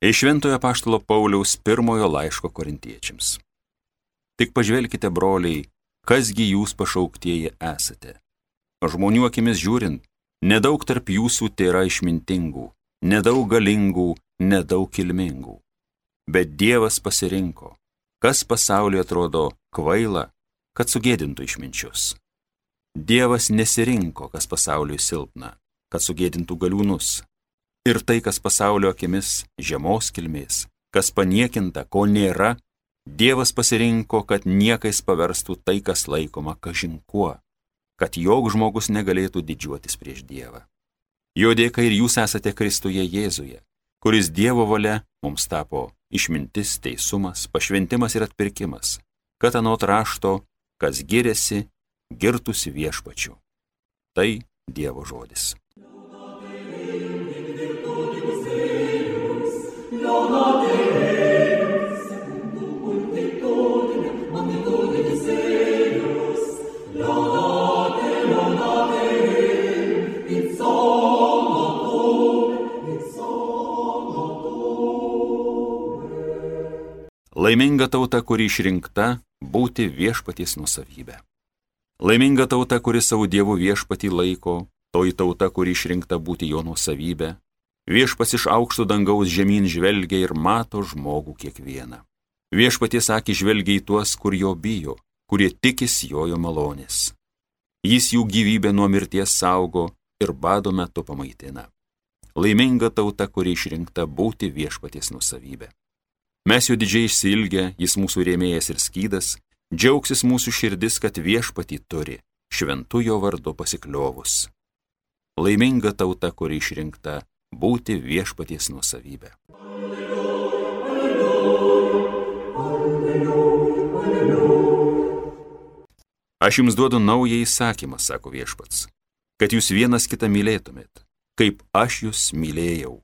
Iš Šventojo Apaštalo Pauliaus pirmojo laiško Korintiečiams. Tik pažvelkite, broliai, kasgi jūs pašauktieji esate. Žmonių akimis žiūrint, nedaug tarp jūsų tėra išmintingų, nedaug galingų, nedaug kilmingų. Bet Dievas pasirinko, kas pasaulyje atrodo kvaila, kad sugėdintų išminčius. Dievas nesirinko, kas pasauliui silpna, kad sugėdintų galiūnus. Ir tai, kas pasaulio akimis žemos kilmės, kas paniekinta, ko nėra, Dievas pasirinko, kad niekais paverstų tai, kas laikoma kažin kuo, kad joks žmogus negalėtų didžiuotis prieš Dievą. Jo dėka ir jūs esate Kristuje Jėzuje, kuris Dievo valia mums tapo išmintis, teisumas, pašventimas ir atpirkimas, kad anot rašto, kas giriasi, girtųsi viešpačiu. Tai Dievo žodis. Laiminga tauta, kuri išrinkta būti viešpaties nuosavybė. Laiminga tauta, kuri savo Dievo viešpatį laiko, toji tauta, kuri išrinkta būti jo nuosavybė. Viešpats iš aukšto dangaus žemyn žvelgia ir mato žmogų kiekvieną. Viešpaties akys žvelgia į tuos, kur jo bijo, kurie tikisi jo malonės. Jis jų gyvybę nuo mirties saugo ir bado metu pamaitina. Laiminga tauta, kuri išrinkta būti viešpaties nuosavybė. Mes jo didžiai išsiilgę, jis mūsų rėmėjas ir skydas, džiaugsis mūsų širdis, kad viešpatį turi, šventu jo vardu pasikliovus. Laiminga tauta, kuri išrinkta būti viešpaties nuosavybė. Aš jums duodu naują įsakymą, sako viešpats, kad jūs vienas kitą mylėtumėt, kaip aš jūs mylėjau.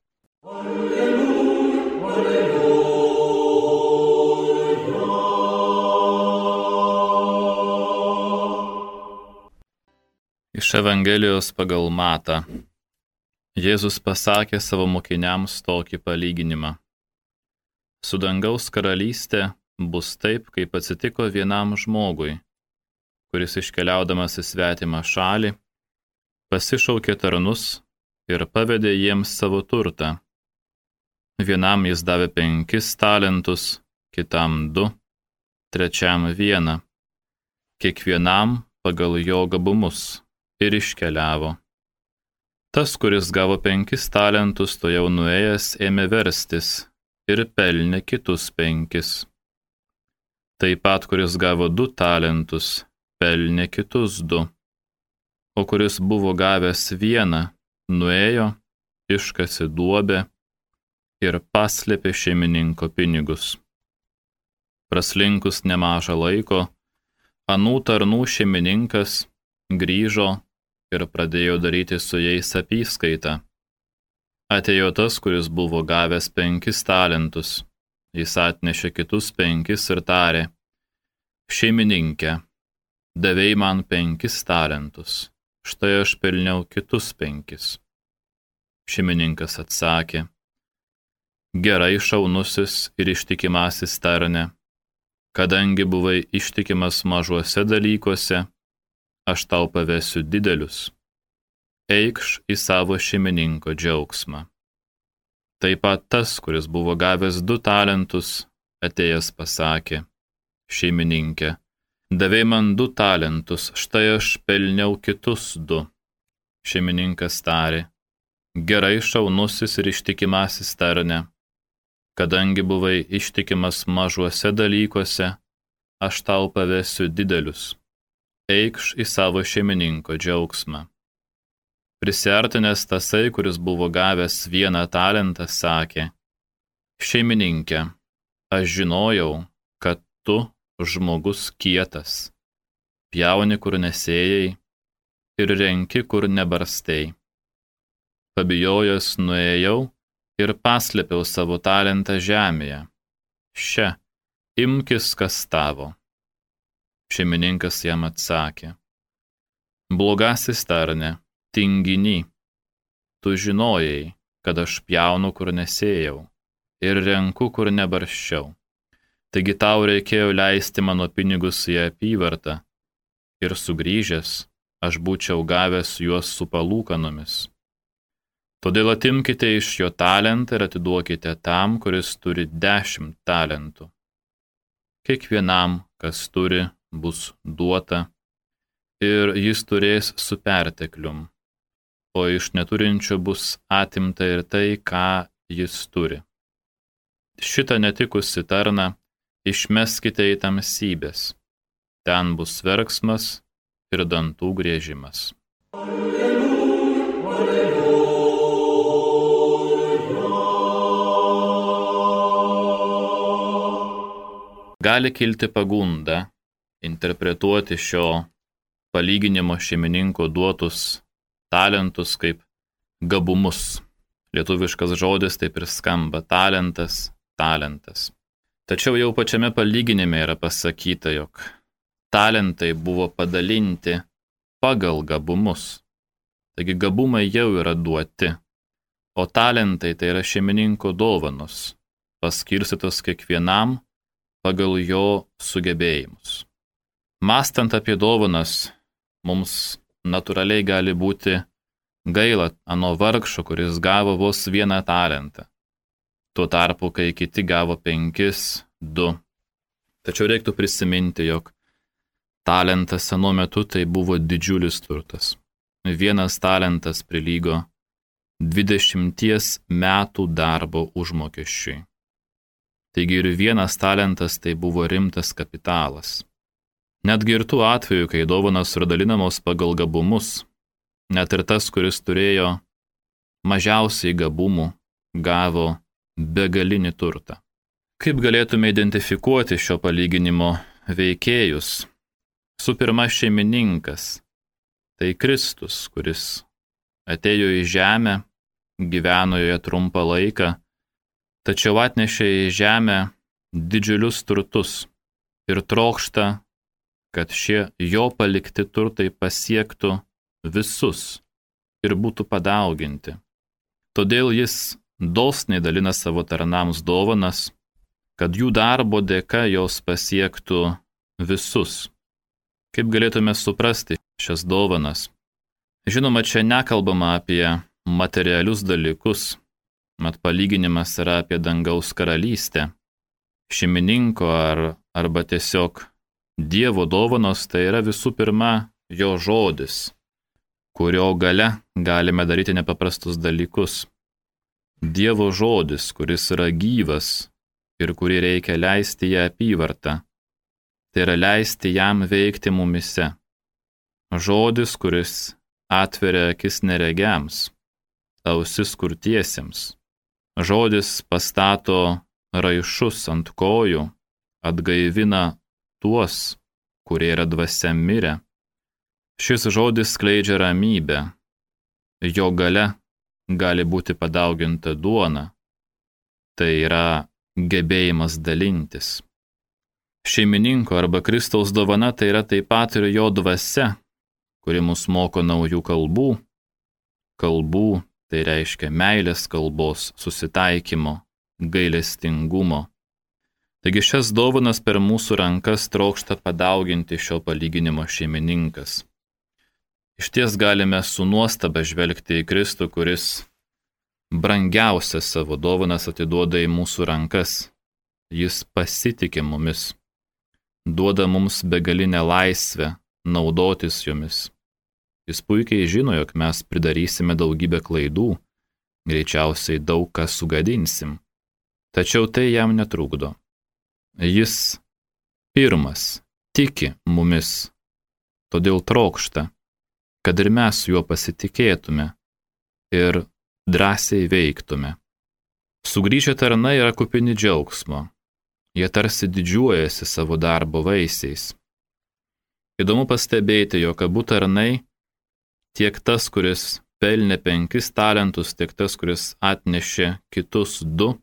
Iš Evangelijos pagal Matą. Jėzus pasakė savo mokiniams tokį palyginimą. Su dangaus karalystė bus taip, kaip atsitiko vienam žmogui, kuris iškeliaudamas į svetimą šalį, pasišaukė tarnus ir pavedė jiems savo turtą. Vienam jis davė 5 talentus, kitam 2, trečiam 1, kiekvienam pagal jo gabumus. Ir iškeliavo. Tas, kuris gavo 5 talentus, to jau nuėjęs ėmė verstis ir pelnė kitus 5. Taip pat, kuris gavo 2 talentus, pelnė kitus 2. O kuris buvo gavęs 1, nuėjo, iškasė duobę ir paslėpė šeimininko pinigus. Praslinkus nemažą laiko, anų tarnų šeimininkas grįžo ir pradėjo daryti su jais apyskaitą. Atėjo tas, kuris buvo gavęs 5 talentus. Jis atnešė kitus 5 ir tarė: šeimininke, davei man 5 talentus, štai aš pelniau kitus 5. Šeimininkas atsakė: gerai, šaunusis ir ištikimasis tarne, kadangi buvai ištikimas mažuose dalykuose, aš tau pavesiu didelius. Eikš į savo šeimininko džiaugsmą. Taip pat tas, kuris buvo gavęs 2 talentus, atėjęs pasakė: šeimininke, davei man 2 talentus, štai aš pelniau kitus 2. Šeimininkas tarė: gerai, šaunusis ir ištikimasis tarne, kadangi buvai ištikimas mažuose dalykuose, aš tau pavesiu didelius. Eikš į savo šeimininko džiaugsmą. Prisiartinęs tasai, kuris buvo gavęs 1 talentą, sakė: šeimininke, aš žinojau, kad tu žmogus kietas, pjauni, kur nesėjai, ir renki, kur nebarstei. Pabijojęs nuėjau ir paslėpiau savo talentą žemėje. Še, imkis, kas tavo. Šeimininkas jam atsakė: blogasis tarne, tinginy, tu žinojai, kad aš pjaunu, kur nesėjau, ir renku, kur nebarščiau. Taigi tau reikėjo leisti mano pinigus į apyvartą ir sugrįžęs aš būčiau gavęs juos su palūkanomis. Todėl atimkite iš jo talentą ir atiduokite tam, kuris turi 10 talentų. Kiekvienam, kas turi, bus duota ir jis turės su perteklium, o iš neturinčio bus atimta ir tai, ką jis turi. Šitą netikusi tarną išmeskite į tamsybės. Ten bus verksmas ir dantų griežimas. Gali kilti pagunda interpretuoti šio palyginimo šeimininko duotus talentus kaip gabumus. Lietuviškas žodis taip ir skamba – talentas, talentas. Tačiau jau pačiame palyginime yra pasakyta, jog talentai buvo padalinti pagal gabumus. Taigi gabumai jau yra duoti, o talentai tai yra šeimininko dovanos, paskirstytos kiekvienam pagal jo sugebėjimus. Mąstant apie dovanas, mums natūraliai gali būti gaila ano vargšo, kuris gavo vos 1 talentą. Tuo tarpu, kai kiti gavo 5, 2. Tačiau reiktų prisiminti, jog talentas senu metu tai buvo didžiulis turtas. 1 talentas prilygo 20 metų darbo užmokesčiui. Taigi ir 1 talentas tai buvo rimtas kapitalas. Netgi ir tų atveju, kai dovanos yra dalinamos pagal gabumus, net ir tas, kuris turėjo mažiausiai gabumų, gavo begalinį turtą. Kaip galėtume identifikuoti šio palyginimo veikėjus? Su pirma šeimininkas, tai Kristus, kuris atėjo į žemę, gyveno joje trumpą laiką, tačiau atnešė į žemę didžiulius turtus ir trokšta, kad šie jo palikti turtai pasiektų visus ir būtų padauginti. Todėl jis dosniai dalina savo tarnams dovanas, kad jų darbo dėka jos pasiektų visus. Kaip galėtume suprasti šias dovanas? Žinoma, čia nekalbama apie materialius dalykus, mat palyginimas yra apie dangaus karalystę. Šeimininko arba tiesiog Dievo dovanos tai yra visų pirma jo žodis, kurio gale galime daryti nepaprastus dalykus. Dievo žodis, kuris yra gyvas ir kurį reikia leisti į apyvartą, tai yra leisti jam veikti mumise. Žodis, kuris atveria akis neregiams, ausis kurtiesiems. Žodis pastato raišus ant kojų, atgaivina tuos, kurie yra dvasia mirę. Šis žodis skleidžia ramybę. Jo gale gali būti padauginta duona. Tai yra gebėjimas dalintis. Šeimininko arba Kristaus dovana tai yra taip pat ir jo dvasia, kuri mus moko naujų kalbų. Kalbų tai reiškia meilės kalbos, susitaikymo, gailestingumo. Taigi šias dovanas per mūsų rankas trokšta padauginti šio palyginimo šeimininkas. Išties galime su nuostaba žvelgti į Kristų, kuris brangiausias savo dovanas atiduoda į mūsų rankas. Jis pasitikė mumis, duoda mums begalinę laisvę naudotis jomis. Jis puikiai žino, jog mes pridarysime daugybę klaidų, greičiausiai daug ką sugadinsim. Tačiau tai jam netrukdo. Jis pirmas tiki mumis, todėl trokšta, kad ir mes juo pasitikėtume ir drąsiai veiktume. Sugrįžę tarnai yra kupini džiaugsmo. Jie tarsi didžiuojasi savo darbo vaisiais. Įdomu pastebėti, jog abu tarnai, tiek tas, kuris pelnė 5 talentus, tiek tas, kuris atnešė kitus 2,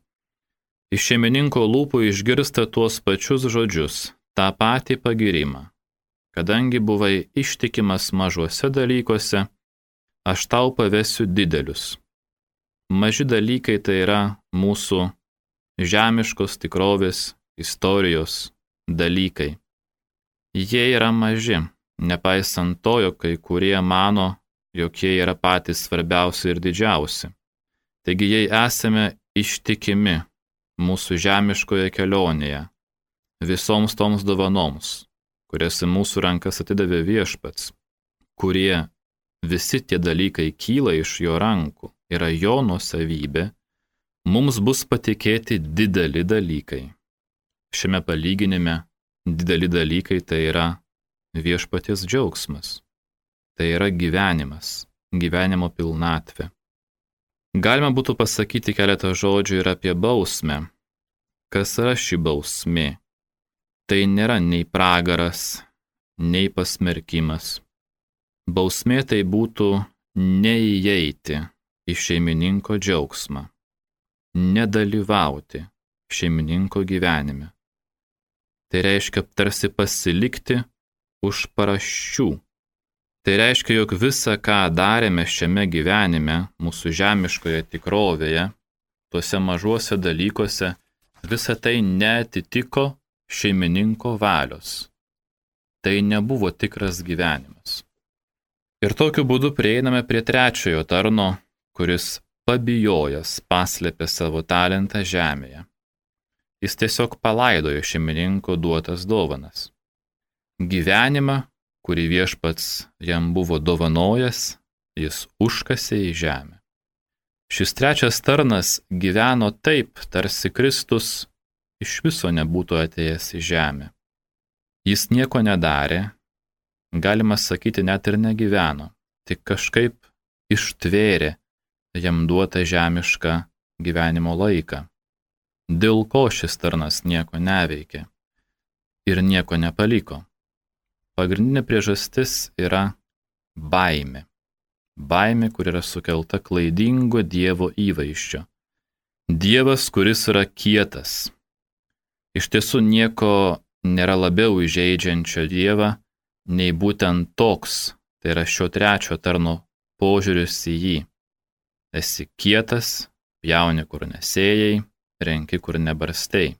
iš šeimininko lūpų išgirsta tuos pačius žodžius, tą patį pagyrimą. Kadangi buvai ištikimas mažuose dalykuose, aš tau pavesiu didelius. Maži dalykai tai yra mūsų žemiškos tikrovės, istorijos dalykai. Jie yra maži, nepaisant to, jog kai kurie mano, jog jie yra patys svarbiausi ir didžiausi. Taigi jei esame ištikimi mūsų žemiškoje kelionėje, visoms toms dovanoms, kurias į mūsų rankas atidavė Viešpats, kurie visi tie dalykai kyla iš jo rankų, yra jo nuosavybė, mums bus patikėti dideli dalykai. Šiame palyginime dideli dalykai tai yra Viešpaties džiaugsmas, tai yra gyvenimas, gyvenimo pilnatvė. Galima būtų pasakyti keletą žodžių ir apie bausmę. Kas yra ši bausmė? Tai nėra nei pragaras, nei pasmerkimas. Bausmė tai būtų neįeiti į šeimininko džiaugsmą, nedalyvauti šeimininko gyvenime. Tai reiškia tarsi pasilikti už paraščių. Tai reiškia, jog visa, ką darėme šiame gyvenime, mūsų žemiškoje tikrovėje, tuose mažuose dalykuose, visa tai neatitiko šeimininko valios. Tai nebuvo tikras gyvenimas. Ir tokiu būdu prieiname prie trečiojo tarno, kuris pabijojęs paslėpė savo talentą žemėje. Jis tiesiog palaidojo šeimininko duotas dovanas. Gyvenimą, kurį Viešpats jam buvo dovanojęs, jis užkasė į žemę. Šis trečias tarnas gyveno taip, tarsi Kristus iš viso nebūtų atėjęs į žemę. Jis nieko nedarė, galima sakyti, net ir negyveno, tik kažkaip ištvėrė jam duotą žemišką gyvenimo laiką. Dėl ko šis tarnas nieko neveikė ir nieko nepaliko? Pagrindinė priežastis yra baimė. Baimė, kur yra sukelta klaidingo Dievo įvaizdžio. Dievas, kuris yra kietas. Iš tiesų nieko nėra labiau įžeidžiančio Dievą, nei būtent toks, tai yra šio trečio tarno požiūris į jį. Esi kietas, pjauni kur nesėjai, renki kur nebarstei.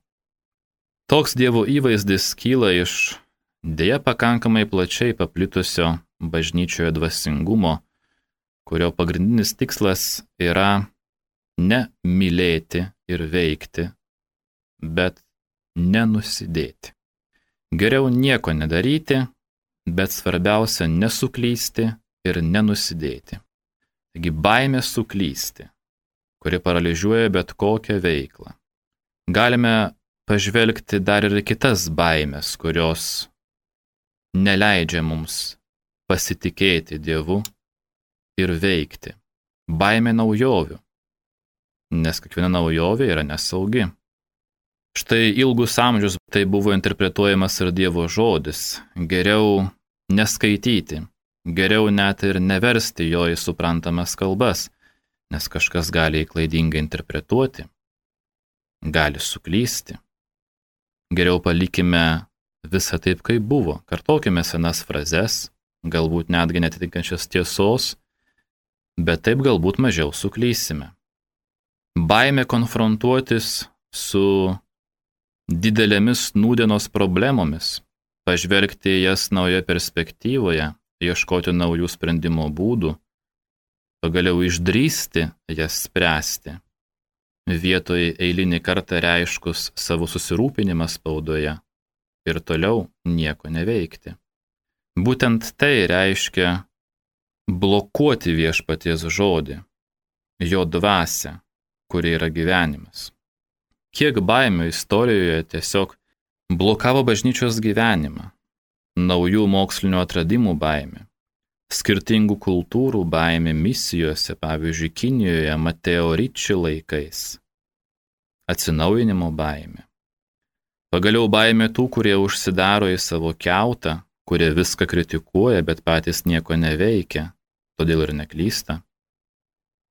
Toks Dievo įvaizdis kyla iš deja pakankamai plačiai paplitusio bažnyčioje dvasingumo, kurio pagrindinis tikslas yra ne mylėti ir veikti, bet nenusidėti. Geriau nieko nedaryti, bet svarbiausia nesuklysti ir nenusidėti. Taigi baimė suklysti, kuri paralyžiuoja bet kokią veiklą. Galime pažvelgti dar ir kitas baimės, kurios neleidžia mums pasitikėti Dievu ir veikti. Baimė naujovių, nes kiekviena naujovė yra nesaugi. Štai ilgus amžius tai buvo interpretuojamas ir Dievo žodis. Geriau neskaityti, geriau net ir neversti jo į suprantamas kalbas, nes kažkas gali klaidingai interpretuoti, gali suklysti. Geriau palikime visą taip, kaip buvo. Kartokime senas frazes, galbūt netgi netitinkančias tiesos, bet taip galbūt mažiau suklysime. Baimė konfrontuotis su didelėmis nūdienos problemomis, pažvelgti jas naujoje perspektyvoje, ieškoti naujų sprendimo būdų, pagaliau išdrįsti jas spręsti, vietoj eilinį kartą reiškus savo susirūpinimą spaudoje ir toliau nieko neveikti. Būtent tai reiškia blokuoti Viešpaties žodį, jo dvasią, kuri yra gyvenimas. Kiek baimių istorijoje tiesiog blokavo bažnyčios gyvenimą, naujų mokslinių atradimų baimė, skirtingų kultūrų baimė misijose, pavyzdžiui, Kinijoje Mateo Ricci laikais, atsinaujinimo baimė. Pagaliau baimė tų, kurie užsidaro į savo kiautą, kurie viską kritikuoja, bet patys nieko neveikia, todėl ir neklysta.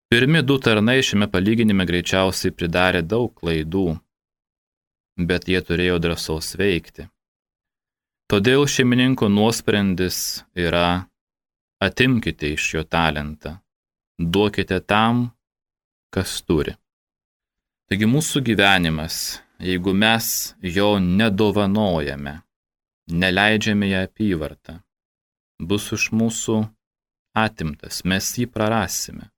Pirmi du tarnai šiame palyginime greičiausiai pridarė daug klaidų, bet jie turėjo drąsos veikti. Todėl šeimininko nuosprendis yra: atimkite iš jo talentą, duokite tam, kas turi. Taigi mūsų gyvenimas, jeigu mes jo nedovanojame, neleidžiame į apyvartą, bus iš mūsų atimtas, mes jį prarasime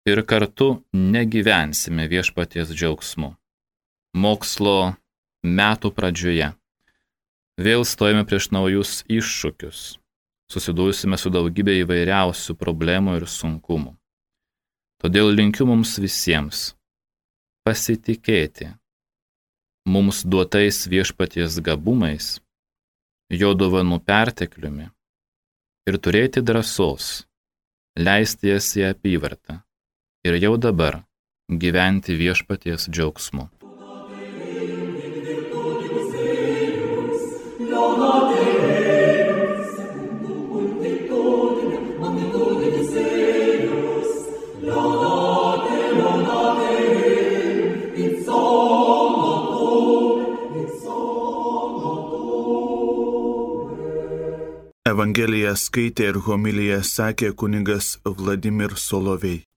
ir kartu negyvensime viešpaties džiaugsmu. Mokslo metų pradžioje vėl stojame prieš naujus iššūkius, susidursime su daugybė įvairiausių problemų ir sunkumų. Todėl linkiu mums visiems pasitikėti mums duotais viešpaties gabumais, jo dovanų pertekliumi ir turėti drąsos leisti jas į apyvartą ir jau dabar gyventi viešpaties džiaugsmu. Evangeliją skaitė ir homiliją sakė kunigas Vladimir Solovej.